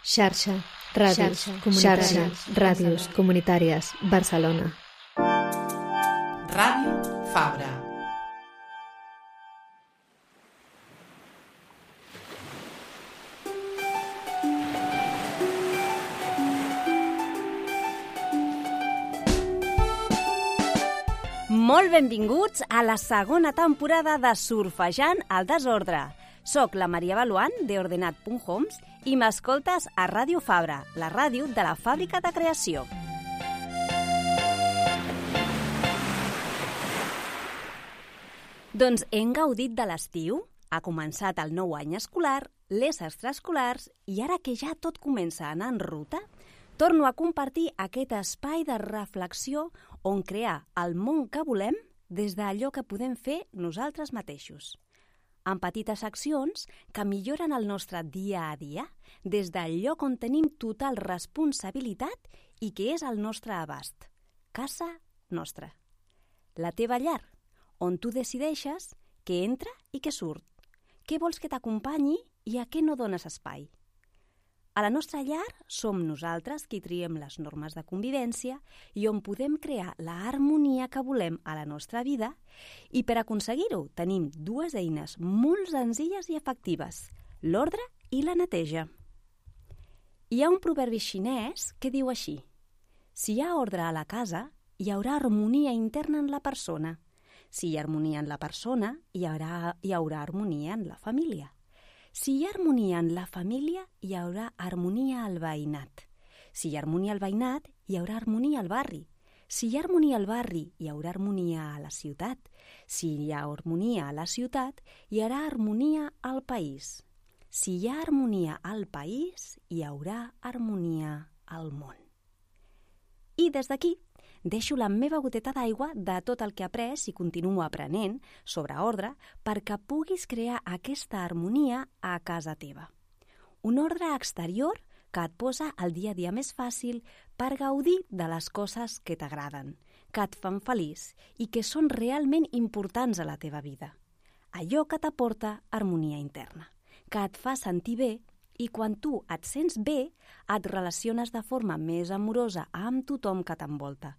Xarxa, ràdios comunitàries, Barcelona. Ràdio Fabra. Molt benvinguts a la segona temporada de Surfejant el desordre. Soc la Maria Baluant, d'Ordenat.homes, i m'escoltes a Ràdio Fabra, la ràdio de la Fàbrica de Creació. Doncs hem gaudit de l'estiu, ha començat el nou any escolar, les extraescolars, i ara que ja tot comença a anar en ruta, torno a compartir aquest espai de reflexió on crear el món que volem des d'allò que podem fer nosaltres mateixos. En petites accions que milloren el nostre dia a dia, des del lloc on tenim total responsabilitat i que és al nostre abast. Casa nostra. La teva llar, on tu decideixes què entra i què surt, què vols que t'acompanyi i a què no dones espai. A la nostra llar som nosaltres qui triem les normes de convivència i on podem crear l'harmonia que volem a la nostra vida, i per aconseguir-ho tenim dues eines molt senzilles i efectives, l'ordre i la neteja. Hi ha un proverbi xinès que diu així: si hi ha ordre a la casa, hi haurà harmonia interna en la persona. Si hi ha harmonia en la persona, hi haurà harmonia en la família. Si hi ha harmonia en la família, hi haurà harmonia al veïnat. Si hi ha harmonia al veïnat, hi haurà harmonia al barri. Si hi ha harmonia al barri, hi haurà harmonia a la ciutat. Si hi ha harmonia a la ciutat, hi haurà harmonia al país. Si hi ha harmonia al país, hi haurà harmonia al món. I des d'aquí deixo la meva goteta d'aigua de tot el que he après i continuo aprenent sobre ordre perquè puguis crear aquesta harmonia a casa teva. Un ordre exterior que et posa el dia a dia més fàcil per gaudir de les coses que t'agraden, que et fan feliç i que són realment importants a la teva vida. Allò que t'aporta harmonia interna, que et fa sentir bé, i quan tu et sents bé, et relaciones de forma més amorosa amb tothom que t'envolta.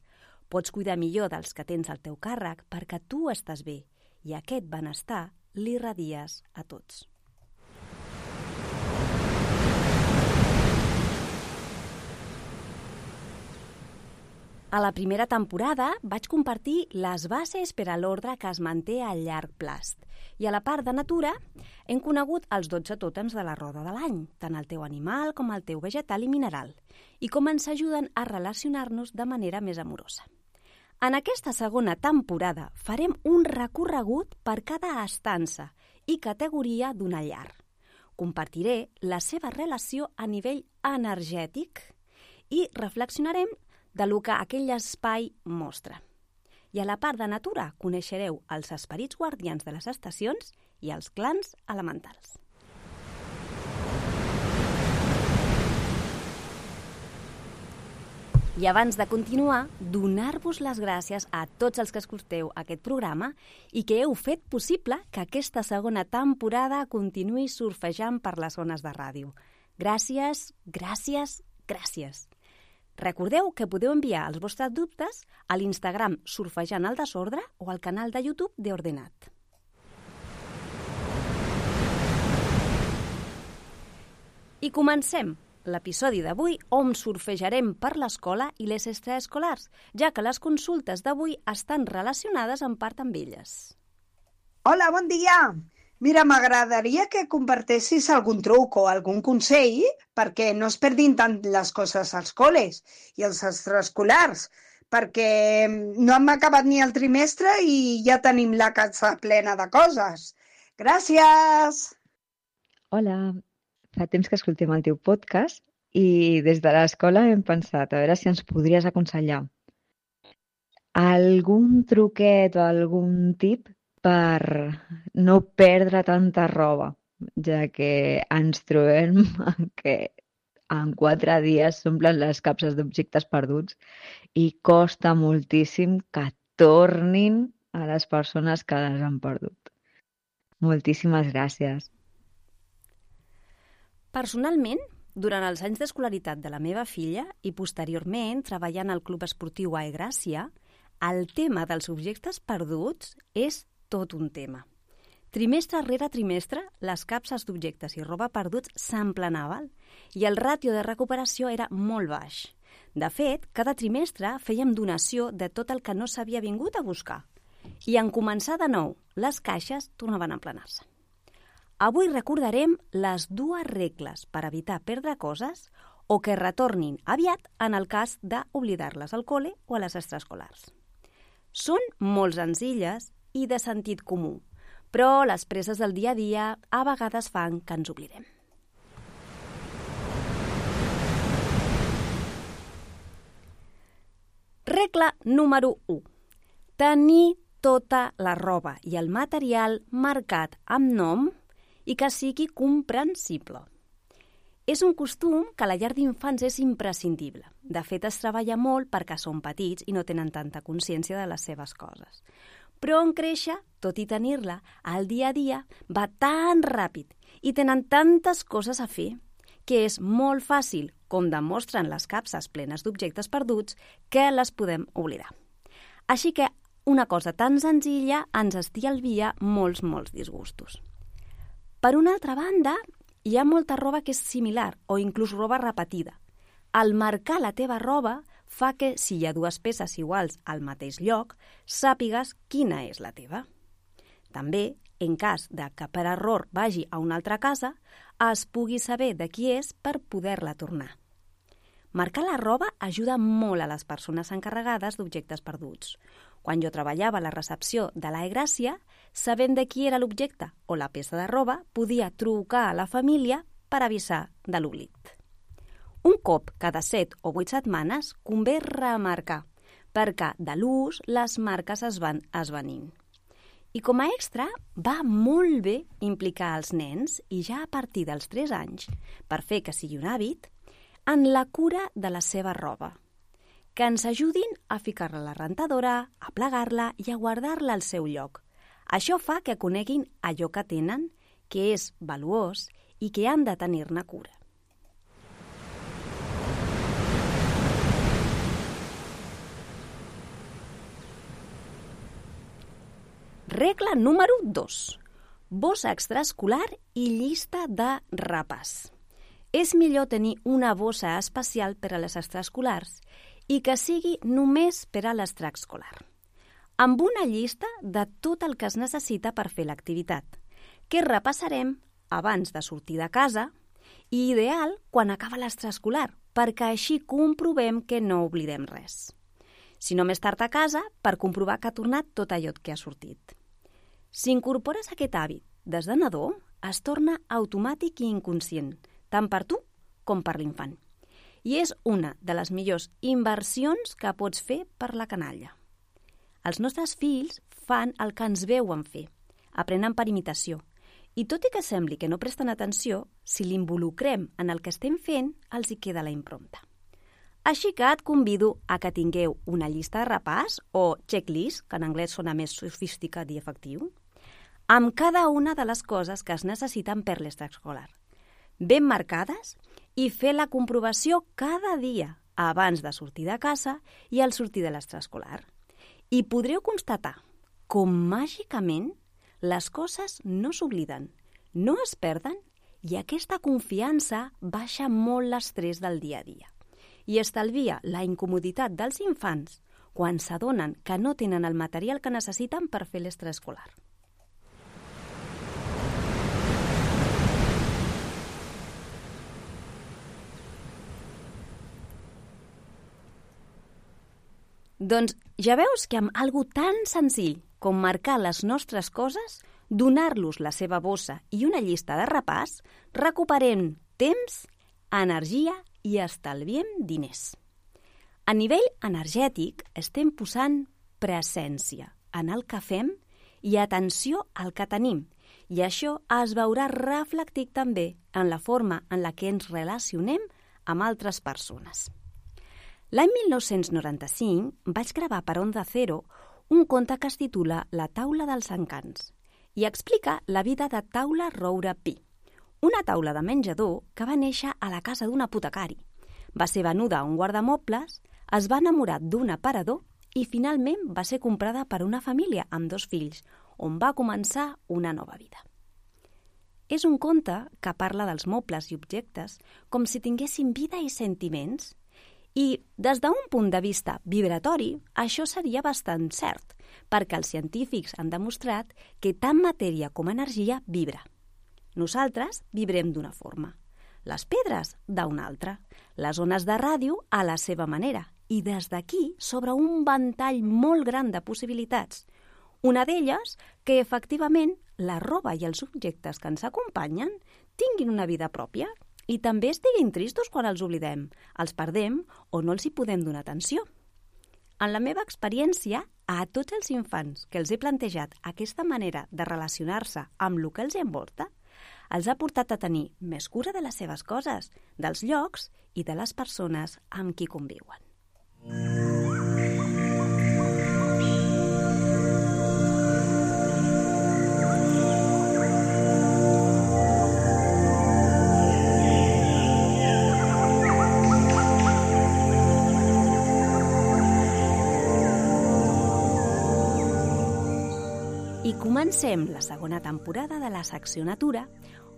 Pots cuidar millor dels que tens al teu càrrec perquè tu estàs bé i aquest benestar l'irradies a tots. A la primera temporada vaig compartir les bases per a l'ordre que es manté a llarg plast. I a la part de natura hem conegut els 12 tòtems de la roda de l'any, tant el teu animal com el teu vegetal i mineral, i com ens ajuden a relacionar-nos de manera més amorosa. En aquesta segona temporada farem un recorregut per cada estança i categoria d'una llar. Compartiré la seva relació a nivell energètic i reflexionarem de lo que aquell espai mostra. I a la part de natura coneixereu els esperits guardians de les estacions i els clans elementals. I abans de continuar, donar-vos les gràcies a tots els que escolteu aquest programa i que heu fet possible que aquesta segona temporada continuï surfejant per les zones de ràdio. Gràcies, gràcies, gràcies. Recordeu que podeu enviar els vostres dubtes a l'Instagram Surfejant el desordre o al canal de YouTube d'Ordenat. I comencem l'episodi d'avui on surfejarem per l'escola i les extraescolars, ja que les consultes d'avui estan relacionades en part amb elles. Hola, bon dia! Mira, m'agradaria que compartessis algun truc o algun consell perquè no es perdin tant les coses als col·les i als extraescolars, perquè no hem acabat ni el trimestre i ja tenim la casa plena de coses. Gràcies! Hola, fa temps que escoltem el teu podcast i des de l'escola hem pensat a veure si ens podries aconsellar algun truquet o algun tip per no perdre tanta roba, ja que ens trobem que en 4 dies s'omplen les capses d'objectes perduts i costa moltíssim que tornin a les persones que les han perdut. Moltíssimes gràcies. Personalment, durant els anys d'escolaritat de la meva filla i posteriorment treballant al Club Esportiu Gràcia, el tema dels objectes perduts és tot un tema. Trimestre rere trimestre, les capses d'objectes i roba perduts s'emplenaven i el ràtio de recuperació era molt baix. De fet, cada trimestre fèiem donació de tot el que no s'havia vingut a buscar. I en començar de nou, les caixes tornaven a emplenar-se. Avui recordarem les 2 regles per evitar perdre coses o que retornin aviat en el cas d'oblidar-les al col·le o a les extraescolars. Són molt senzilles i de sentit comú, però les presses del dia a dia a vegades fan que ens oblidem. Regla número 1. Tenir tota la roba i el material marcat amb nom i que sigui comprensible. És un costum que a la llar d'infants és imprescindible. De fet, es treballa molt perquè són petits i no tenen tanta consciència de les seves coses. Però en créixer, tot i tenir-la, el dia a dia va tan ràpid i tenen tantes coses a fer que és molt fàcil, com demostren les capses plenes d'objectes perduts, que les podem oblidar. Així que una cosa tan senzilla ens estalvia molts disgustos. Per una altra banda, hi ha molta roba que és similar o inclús roba repetida. Al marcar la teva roba fa que, si hi ha 2 peces iguals al mateix lloc, sàpigues quina és la teva. També, en cas de que per error vagi a una altra casa, es pugui saber de qui és per poder-la tornar. Marcar la roba ajuda molt a les persones encarregades d'objectes perduts. Quan jo treballava a la recepció de Gràcia, sabent de qui era l'objecte o la peça de roba, podia trucar a la família per avisar de l'oblit. Un cop cada 7 o 8 setmanes convé remarcar, perquè de l'ús les marques es van esvanint. I com a extra, va molt bé implicar els nens, i ja a partir dels 3 anys, per fer que sigui un hàbit, en la cura de la seva roba, que ens ajudin a ficar-la a la rentadora, a plegar-la i a guardar-la al seu lloc. Això fa que coneguin allò que tenen, que és valuós i que han de tenir-ne cura. Regla número 2. Bossa extraescolar i llista de repàs. És millor tenir una bossa especial per a les extraescolars i que sigui només per a l'extraescolar, amb una llista de tot el que es necessita per fer l'activitat, que repassarem abans de sortir de casa i ideal quan acaba l'extraescolar, perquè així comprovem que no oblidem res. Si no més tard a casa, per comprovar que ha tornat tot allò que ha sortit. Si incorpores aquest hàbit des de nadó, es torna automàtic i inconscient, tant per tu com per l'infant. I és una de les millors inversions que pots fer per la canalla. Els nostres fills fan el que ens veuen fer, aprenen per imitació, i tot i que sembli que no presten atenció, si l'involucrem en el que estem fent, els hi queda la impronta. Així que et convido a que tingueu una llista de repàs, o checklist, que en anglès sona més sofisticat i efectiu, amb cada una de les coses que es necessiten per l'extraescolar, ben marcades, i fer la comprovació cada dia abans de sortir de casa i al sortir de l'extraescolar. I podreu constatar com màgicament les coses no s'obliden, no es perden i aquesta confiança baixa molt l'estrès del dia a dia i estalvia la incomoditat dels infants quan s'adonen que no tenen el material que necessiten per fer l'extraescolar. Doncs ja veus que amb algo tan senzill com marcar les nostres coses, donar-los la seva bossa i una llista de repàs, recuperem temps, energia i estalviem diners. A nivell energètic estem posant presència en el que fem i atenció al que tenim, i això es veurà reflectit també en la forma en la que ens relacionem amb altres persones. L'any 1995 vaig gravar per Onda Cero un conte que es titula La taula dels encants i explica la vida de Taula Roure Pi, una taula de menjador que va néixer a la casa d'un apotecari. Va ser venuda a un guardamobles, es va enamorar d'un aparador i finalment va ser comprada per una família amb 2 fills, on va començar una nova vida. És un conte que parla dels mobles i objectes com si tinguessin vida i sentiments. I des d'un punt de vista vibratori, això seria bastant cert, perquè els científics han demostrat que tant matèria com energia vibra. Nosaltres vibrem d'una forma, les pedres d'una altra, les ones de ràdio a la seva manera, i des d'aquí s'obre un ventall molt gran de possibilitats. Una d'elles, que efectivament la roba i els objectes que ens acompanyen tinguin una vida pròpia i també estiguin tristos quan els oblidem, els perdem o no els hi podem donar atenció. En la meva experiència, a tots els infants que els he plantejat aquesta manera de relacionar-se amb el que els envolta, els ha portat a tenir més cura de les seves coses, dels llocs i de les persones amb qui conviuen. I comencem la segona temporada de la secció Natura,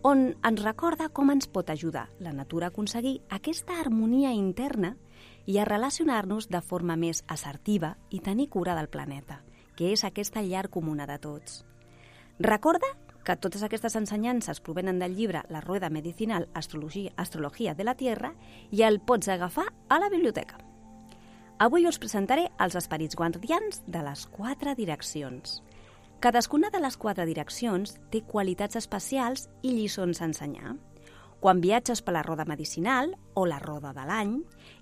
on ens recorda com ens pot ajudar la natura a aconseguir aquesta harmonia interna i a relacionar-nos de forma més assertiva i tenir cura del planeta, que és aquesta llar comuna de tots. Recorda que totes aquestes ensenyances provenen del llibre La Rueda Medicinal Astrología de la Tierra i el pots agafar a la biblioteca. Avui us presentaré els esperits guardians de les 4 direccions. Cadascuna de les 4 direccions té qualitats especials i lliçons a ensenyar. Quan viatges per la roda medicinal o la roda de l'any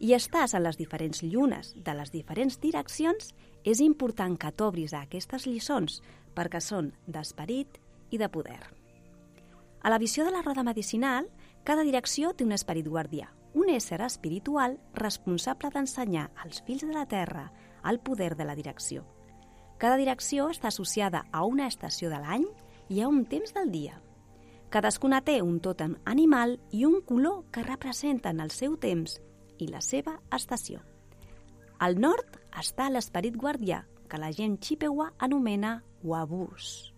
i estàs en les diferents llunes de les diferents direccions, és important que t'obris a aquestes lliçons perquè són d'esperit i de poder. A la visió de la roda medicinal, cada direcció té un esperit guardià, un ésser espiritual responsable d'ensenyar als fills de la Terra el poder de la direcció. Cada direcció està associada a una estació de l'any i a un temps del dia. Cadascuna té un tòtem animal i un color que representen el seu temps i la seva estació. Al nord està l'esperit guardià, que la gent Chippewa anomena Wabus.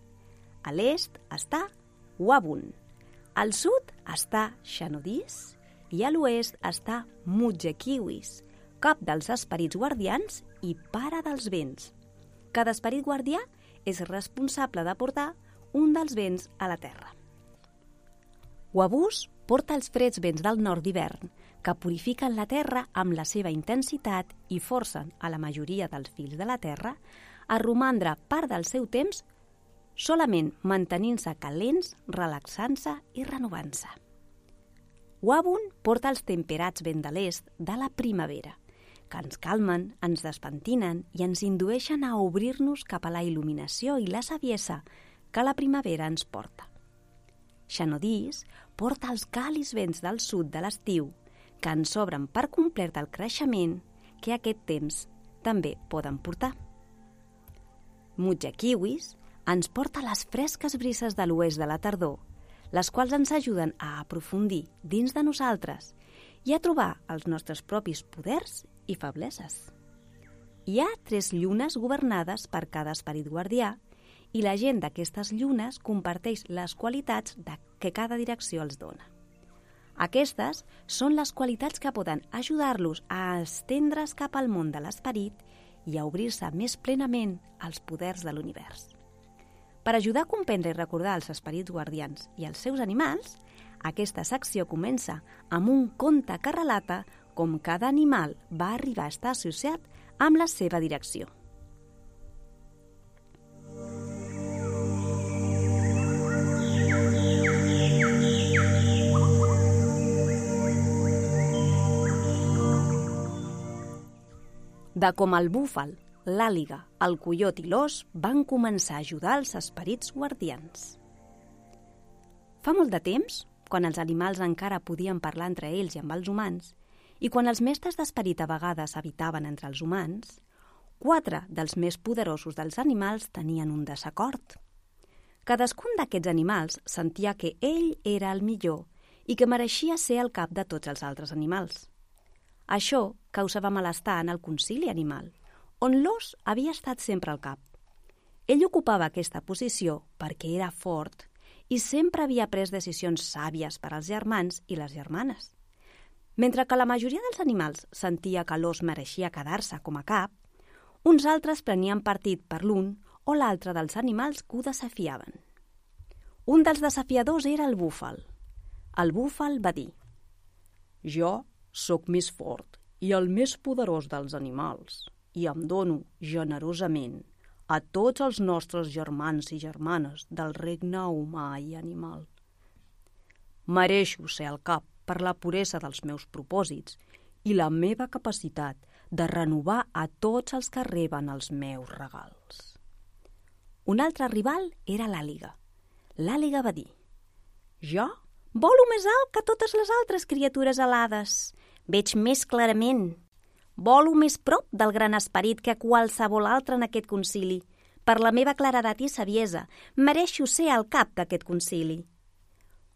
A l'est està Wabun. Al sud està Shanodis i a l'oest està Mudjekiwis, cap dels esperits guardians i pare dels vents. Cada esperit guardià és responsable de portar un dels vents a la Terra. Wabus porta els freds vents del nord d'hivern, que purifiquen la Terra amb la seva intensitat i forcen a la majoria dels fills de la Terra a romandre part del seu temps solament mantenint-se calents, relaxant-se i renovant-se. Wabun porta els temperats vents de l'est de la primavera, que ens calmen, ens despentinen i ens indueixen a obrir-nos cap a la il·luminació i la saviesa que la primavera ens porta. Shanodis porta els càlids vents del sud de l'estiu, que ens obren per complet el creixement que aquest temps també poden portar. Mudjekiwis ens porta les fresques brises de l'oest de la tardor, les quals ens ajuden a aprofundir dins de nosaltres i a trobar els nostres propis poders i febleses. Hi ha 3 llunes governades per cada esperit guardià i la gent d'aquestes llunes comparteix les qualitats que cada direcció els dona. Aquestes són les qualitats que poden ajudar-los a estendre's cap al món de l'esperit i a obrir-se més plenament als poders de l'univers. Per ajudar a comprendre i recordar els esperits guardians i els seus animals, aquesta secció comença amb un conte que relata com cada animal va arribar a estar associat amb la seva direcció. De com el búfal, l'àliga, el coiot i l'ós van començar a ajudar els esperits guardians. Fa molt de temps, quan els animals encara podien parlar entre ells i amb els humans, i quan els mestres d'esperit a vegades habitaven entre els humans, 4 dels més poderosos dels animals tenien un desacord. Cadascun d'aquests animals sentia que ell era el millor i que mereixia ser el cap de tots els altres animals. Això causava malestar en el concili animal, on l'ós havia estat sempre al cap. Ell ocupava aquesta posició perquè era fort i sempre havia pres decisions sàvies per als germans i les germanes. Mentre que la majoria dels animals sentia que l'ós mereixia quedar-se com a cap, uns altres prenien partit per l'un o l'altre dels animals que ho desafiaven. Un dels desafiadors era el búfal. El búfal va dir: «Jo sóc més fort i el més poderós dels animals i em dono generosament a tots els nostres germans i germanes del regne humà i animal. Mereixo ser el cap per la puresa dels meus propòsits i la meva capacitat de renovar a tots els que reben els meus regals». Un altre rival era l'àliga. L'àliga va dir: «Jo volo més alt que totes les altres criatures alades. Veig més clarament. Volo més prop del gran esperit que qualsevol altre en aquest concili. Per la meva claredat i saviesa, mereixo ser el cap d'aquest concili».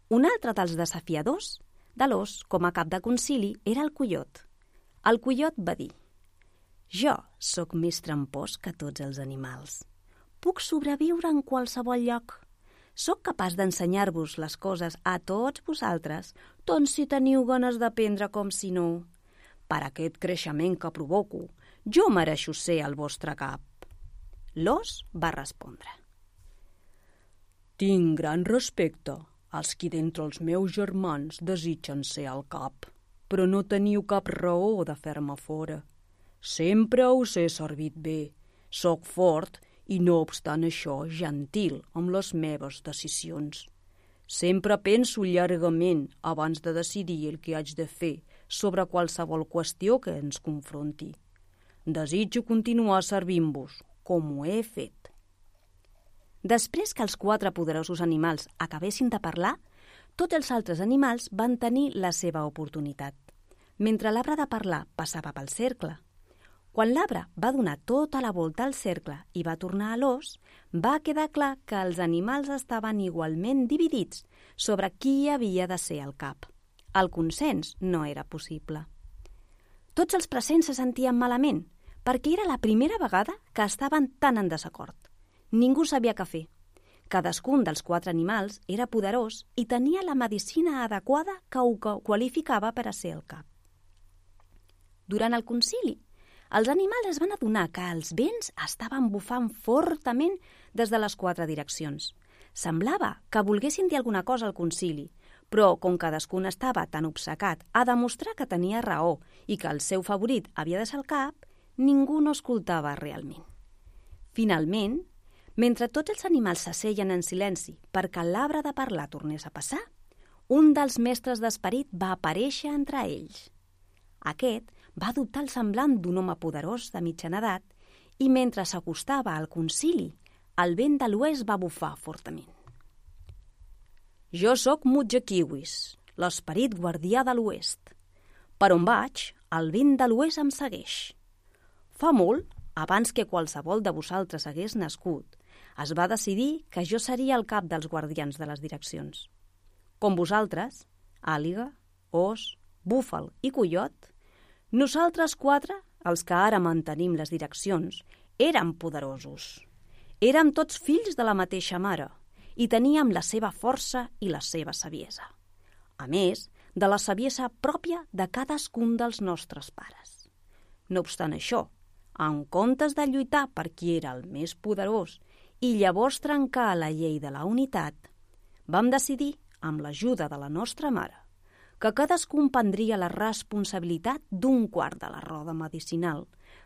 Un altre dels desafiadors de l'ós com a cap de concili era el coiot. El coiot va dir: «Jo sóc més trampós que tots els animals. Puc sobreviure en qualsevol lloc. Sóc capaç d'ensenyar-vos les coses a tots vosaltres, tant si teniu ganes d'aprendre com si no. Per aquest creixement que provoco, jo mereixo ser el vostre cap». L'ós va respondre: «Tinc gran respecte als qui d'entre els meus germans desitgen ser el cap, però no teniu cap raó de fer-me fora. Sempre us he servit bé, sóc fort i no obstant això gentil amb les meves decisions. Sempre penso llargament abans de decidir el que haig de fer sobre qualsevol qüestió que ens confronti. Desitjo continuar servint-vos, com ho he fet». Després que els 4 poderosos animals acabessin de parlar, tots els altres animals van tenir la seva oportunitat, mentre l'arbre de parlar passava pel cercle. Quan l'arbre va donar tota la volta al cercle i va tornar a l'ós, va quedar clar que els animals estaven igualment dividits sobre qui havia de ser el cap. El consens no era possible. Tots els presents se sentien malament, perquè era la primera vegada que estaven tan en desacord. Ningú sabia què fer. Cadascun dels 4 animals era poderós i tenia la medicina adequada que ho qualificava per a ser el cap. Durant el concili, els animals es van adonar que els vents estaven bufant fortament des de les 4 direccions. Semblava que volguessin dir alguna cosa al concili, però com cadascun estava tan obcecat a demostrar que tenia raó i que el seu favorit havia de ser el cap, ningú no escoltava realment. Finalment, mentre tots els animals s'asseien en silenci perquè l'arbre de parlar tornés a passar, un dels mestres d'esperit va aparèixer entre ells. Aquest va adoptar el semblant d'un home poderós de mitjana edat i mentre s'acostava al concili, el vent de l'oest va bufar fortament. «Jo sóc Mudjekiwis, l'esperit guardià de l'oest. Per on vaig, el vent de l'oest em segueix. Fa molt, abans que qualsevol de vosaltres hagués nascut, es va decidir que jo seria el cap dels guardians de les direccions. Com vosaltres, àliga, ós, búfal i coiot, nosaltres 4, els que ara mantenim les direccions, érem poderosos. Érem tots fills de la mateixa mare i teníem la seva força i la seva saviesa. A més, de la saviesa pròpia de cadascun dels nostres pares. No obstant això, en comptes de lluitar per qui era el més poderós i llavors trencar la llei de la unitat, vam decidir, amb l'ajuda de la nostra mare, que cadascun prendria la responsabilitat d'un quart de la roda medicinal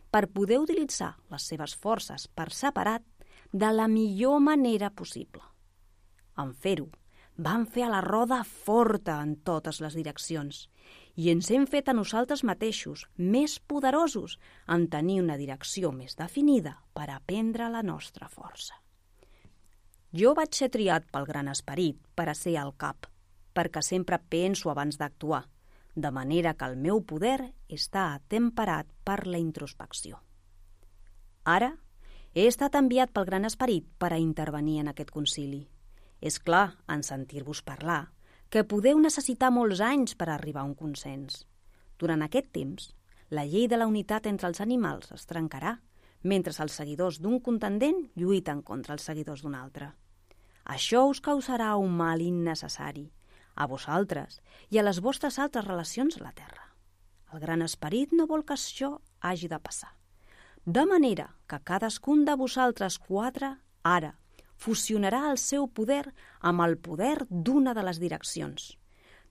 per poder utilitzar les seves forces per separat de la millor manera possible. En fer-ho, vam fer a la roda forta en totes les direccions i ens hem fet a nosaltres mateixos més poderosos en tenir una direcció més definida per aprendre la nostra força. Jo vaig ser triat pel Gran Esperit per a ser el cap, perquè sempre penso abans d'actuar, de manera que el meu poder està atemperat per la introspecció. Ara he estat enviat pel Gran Esperit per a intervenir en aquest concili. És clar, en sentir-vos parlar, que podeu necessitar molts anys per arribar a un consens. Durant aquest temps, la llei de la unitat entre els animals es trencarà, mentre els seguidors d'un contendent lluiten contra els seguidors d'un altre. Això us causarà un mal innecessari, a vosaltres i a les vostres altres relacions a la Terra. El Gran Esperit no vol que això hagi de passar. De manera que cadascun de vosaltres 4 ara fusionarà el seu poder amb el poder d'una de les direccions.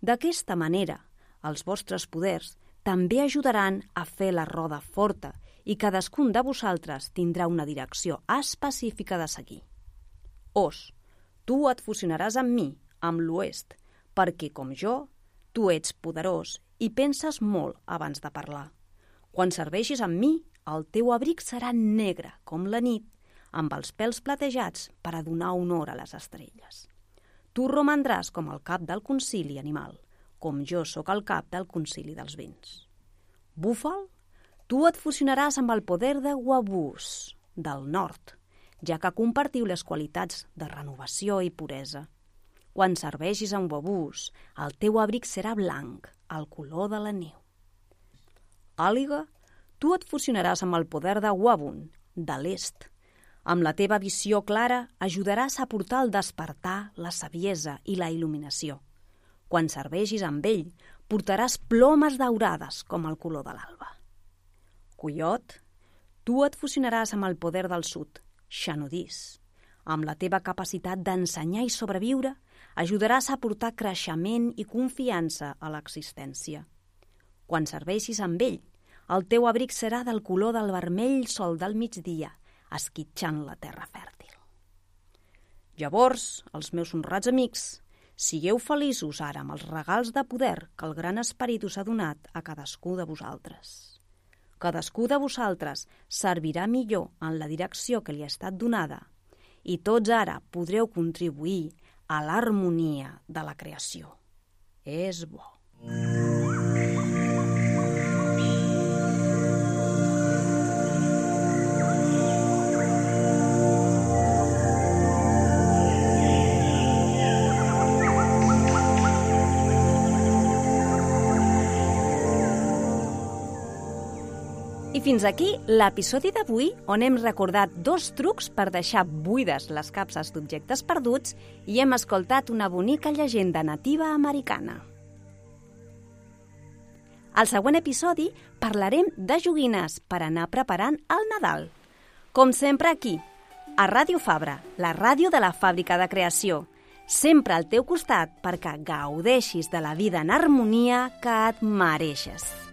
D'aquesta manera, els vostres poders també ajudaran a fer la roda forta i cadascun de vosaltres tindrà una direcció específica de seguir. Os, tu et fusionaràs amb mi, amb l'oest, perquè, com jo, tu ets poderós i penses molt abans de parlar. Quan serveixis amb mi, el teu abric serà negre, com la nit, amb els pèls platejats per a donar honor a les estrelles. Tu romandràs com el cap del concili animal, com jo sóc el cap del concili dels vents. Búfal, tu et fusionaràs amb el poder de Wabús, del nord, ja que compartiu les qualitats de renovació i puresa. Quan serveixis amb Wabús, el teu abric serà blanc, el color de la neu. Àliga, tu et fusionaràs amb el poder de Wabun, de l'est. Amb la teva visió clara ajudaràs a portar el despertar, la saviesa i la il·luminació. Quan serveixis amb ell, portaràs plomes daurades com el color de l'alba. Coiot, tu et fusionaràs amb el poder del sud, Xanodís. Amb la teva capacitat d'ensenyar i sobreviure, ajudaràs a portar creixement i confiança a l'existència. Quan serveixis amb ell, el teu abric serà del color del vermell sol del migdia, esquitxant la terra fèrtil. Llavors, els meus honrats amics, sigueu feliços ara amb els regals de poder que el Gran Esperit us ha donat a cadascú de vosaltres. Cadascú de vosaltres servirà millor en la direcció que li ha estat donada i tots ara podreu contribuir a l'harmonia de la creació. És bo. I fins aquí l'episodi d'avui on hem recordat 2 trucs per deixar buides les capses d'objectes perduts i hem escoltat una bonica llegenda nativa americana. Al següent episodi parlarem de joguines per anar preparant el Nadal. Com sempre aquí, a Ràdio Fabra, la ràdio de la fàbrica de creació. Sempre al teu costat perquè gaudeixis de la vida en harmonia que et mereixes.